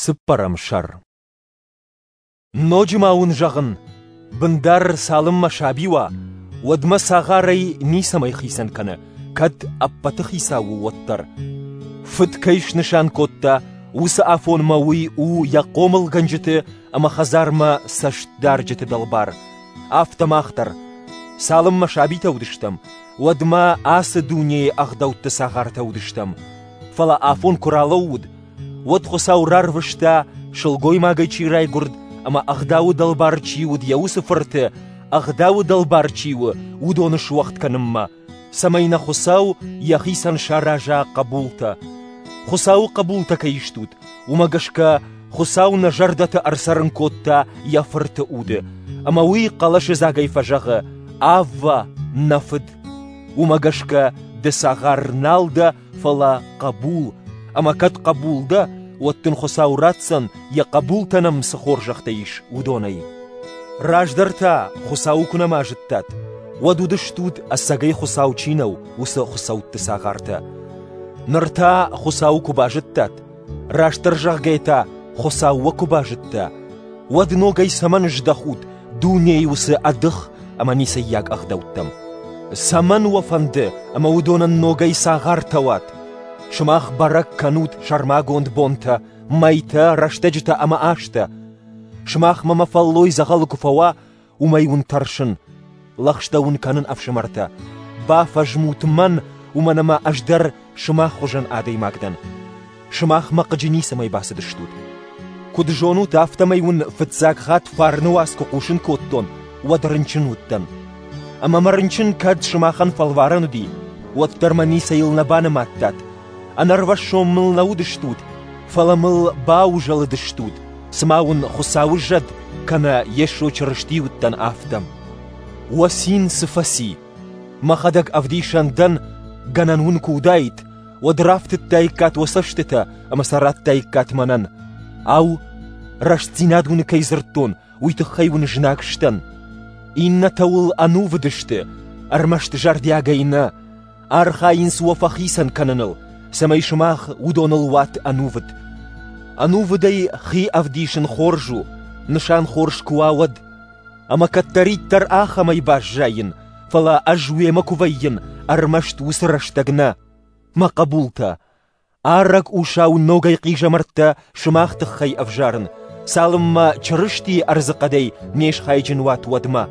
Цыппӕрӕм сӕр. Ноджы ма уын зӕгъын, бындар цалынмӕ саби уа, уӕдмӕ цагъарӕй ницӕмӕй хицӕн кӕны, кӕд ӕппӕты хицау у, уӕддӕр. Фыд кӕй снысан кодта, уыцы афонмӕ уый у йӕ хъомылгӕнджыты ӕмӕ хӕдзармӕ цӕстдарджыты дӕлбар. Афтӕ мах дӕр. Цалынмӕ сабитӕ уыдыстӕм, уӕдмӕ ацы дунейы ӕгъдӕутты цагъартӕ уыдыстӕм. Фӕлӕ афон куы ралӕууыд, уӕд Хуыцау рарвыста, сылгоймагӕй чи райгуырд ӕмӕ ӕгъдауы дӕлбар чи уыд, йӕ уыцы фырты, ӕгъдауы дӕлбар чи у, уыдоны суӕгъд кӕнынмӕ, цӕмӕй нӕ Хуыцау йӕхицӕн сараза хъӕбултӕ. Хуыцауы хъӕбултӕ кӕй стут, уымӕ гӕсгӕ Хуыцау нӕ зӕрдӕты ӕрцӕрын кодта йӕ Фырты уды, ӕмӕ уый хъӕлӕсыдзагӕй фӕзӕгъы: «Аввӕ, нӕ Фыд!» Уымӕ гӕсгӕ ды цагъар нал дӕ, фӕлӕ хъӕбул, ӕмӕ кӕд хъӕбул дӕ, уӕд дын Хуыцау ратдзӕн, йӕ хъӕбултӕн ӕм цы хорзӕхтӕ ис, уыдонӕй. Раздӕр та, Хуыцауы куы нӕма зыдтат, уӕд уыдыстут, ӕцӕгӕй Хуыцау чи нӕу, уыцы хуыцӕутты цагъартӕ. Ныр та Хуыцауы куы базыдтат, растдӕр зӕгъгӕйӕ та, Хуыцау уӕ куы базыдта, уӕд ногӕй цӕмӕн здӕхут дунейы уыцы ӕдых ӕмӕ ницӕййаг ӕгъдӕуттӕм? Цӕмӕн уӕ фӕнды, ӕмӕ уыдонӕн ногӕй цагъартӕ уат? Сымах бӕрӕг кӕнут сӕрмагонд бонтӕ, мӕйтӕ, рӕстӕджытӕ ӕмӕ азтӕ. Сымахмӕ мӕ фӕллой дзӕгъӕлы куы фӕуа, уымӕй уын тӕрсын. Лӕгъстӕ уын кӕнын, ӕфсымӕртӕ, бафӕзмут мӕн, уымӕн ӕмӕ ӕз дӕр сымах хуызӕн адӕймаг дӕн. Сымах мӕ хъыджы ницӕмӕй бацыдыстут. Куыд зонут, афтӕмӕй уын фыццаг хатт фарны уац куы хъусын кодтон, уӕд рынчын уыдтӕн. Ӕмӕ мӕ рынчын кӕд сымахӕн фӕлварӕн уыди, уӕддӕр мӕ ницӕйыл нӕ банымадтат. Ӕнӕрвӕссон мыл нӕ уыдыстут, фӕлӕ мыл баузӕлыдыстут, цыма уын Хуыцауы зӕд кӕнӕ Йесо Чырысти уыдтӕн, афтӕ. Уӕ цин цы фӕци? Мӕхӕдӕг ӕвдисӕн дӕн, гӕнӕн уын куы уыдаид, уӕд рафтыдтаиккат уӕ цӕстытӕ ӕмӕ сӕ радтаиккат мӕнӕн. Ау, рӕстдзинад уын кӕй дзырдтон, уый тыххӕй уын знаг сдӕн? Иннӕтӕ уыл ӕнувыд сты, ӕрмӕст зӕрдиагӕй нӕ. Архайынц уӕ фӕхицӕн кӕныныл, цӕмӕй сымах уыдоныл уат ӕнувыд. Ӕнувыдӕй хи ӕвдисын хорз у, нысан хорз куы уа, уӕд. Ӕмӕ кӕддӕриддӕр ахӕмӕй баззайын, фӕлӕ ӕз уемӕ куы вӕййын, ӕрмӕст уыцы рӕстӕг нӕ. Мӕ хъӕбултӕ, арӕг усау ногӕй хъизӕмӕрттӕ сымах тыххӕй ӕвзарын, цалынмӕ Чырыстийы ӕрдзыхъӕдӕй не схайджын уат, уӕдмӕ.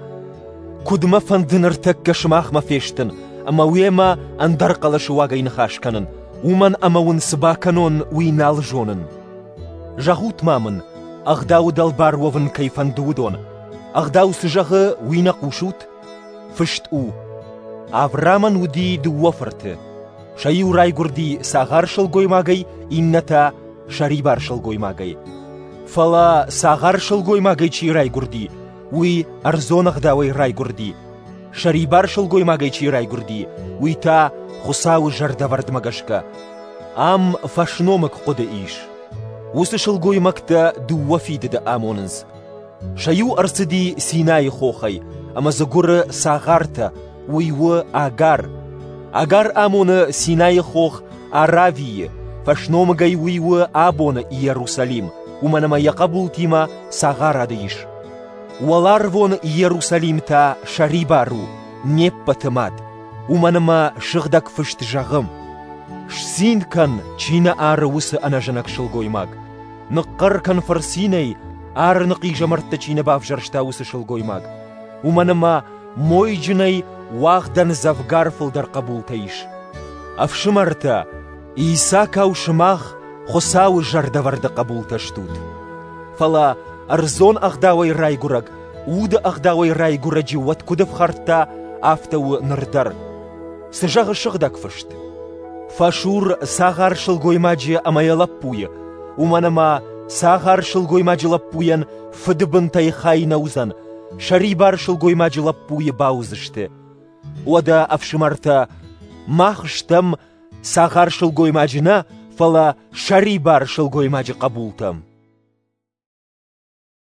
Куыд мӕ фӕнды ныртӕккӕ сымахмӕ фестын ӕмӕ уемӕ ӕндӕр хъӕлӕсы уагӕй ныхас кӕнын, уымӕн ӕмӕ уын цы бакӕнон, уый нал зонын. Зӕгъут-ма мын, ӕгъдауы дӕлбар уӕвын кӕй фӕнды, уыдон. Ӕгъдау цы зӕгъы, уый нӕ хъусут? Фыст у: Авраамӕн уыди дыууӕ фырты. Сӕ иу райгуырди цагъар сылгоймагӕй, иннӕ та сӕрибар сылгоймагӕй. Фӕлӕ цагъар сылгоймагӕй чи райгуырди, уый ӕрдзон ӕгъдауӕй райгуырди. Сӕрибар сылгоймагӕй чи райгуырди, уый та Хуыцауы зӕрдӕвӕрдмӕ гӕсгӕ. Ам фӕсномыг хъуыды ис. Уыцы сылгоймӕгтӕ дыууӕ фидыды амонынц. Сӕ иу ӕрцыди Синайы хохӕй, ӕмӕ дзы гуыры цагъартӕ, уый у Агар. Агар амоны Синайы хох Аравийы, фӕсномыгӕй уый у абоны Иерусалим, уымӕн ӕмӕ йӕ хъӕбултимӕ цагъарады ис. Уӕларвон Иерусалим та сӕрибар у, не ппӕты мад, уымӕн ӕмӕ Сыгъдӕг Фыст зӕгъы: «Сцин кӕн, чи нӕ ары, уыцы ӕнӕзӕнӕг сылгоймаг. Ныхъхъӕр кӕн фырцинӕй, арыны хъизӕмӕрттӕ чи нӕ бавзӕрста, уыцы сылгоймаг. Уымӕн ӕмӕ мойджынӕй уагъдӕн дзӕвгар фылдӕр хъӕбултӕ ис. Ӕфсымӕртӕ, Исакау сымах Хуыцауы зӕрдӕвӕрды хъӕбултӕ стут. Фӕлӕ ӕрдзон ӕгъдауӕй райгуырӕг, уды ӕгъдауӕй райгуырӕджы уӕд куыд ӕфхӕрдта, афтӕ у ныр дӕр. Цы зӕгъы Сыгъдӕг Фыст? Фӕсур цагъар сылгоймаджы ӕмӕ йӕ лӕппуйы, уымӕн ӕмӕ цагъар сылгоймаджы лӕппуйӕн фыды бынтӕй хай нӕ уыдзӕн, сӕрибар сылгоймаджы лӕппуйы бауыдзысты. Уӕдӕ, ӕфсымӕртӕ, мах стӕм цагъар сылгоймаджы нӕ, фӕлӕ сӕрибар сылгоймаджы хъӕбултӕ.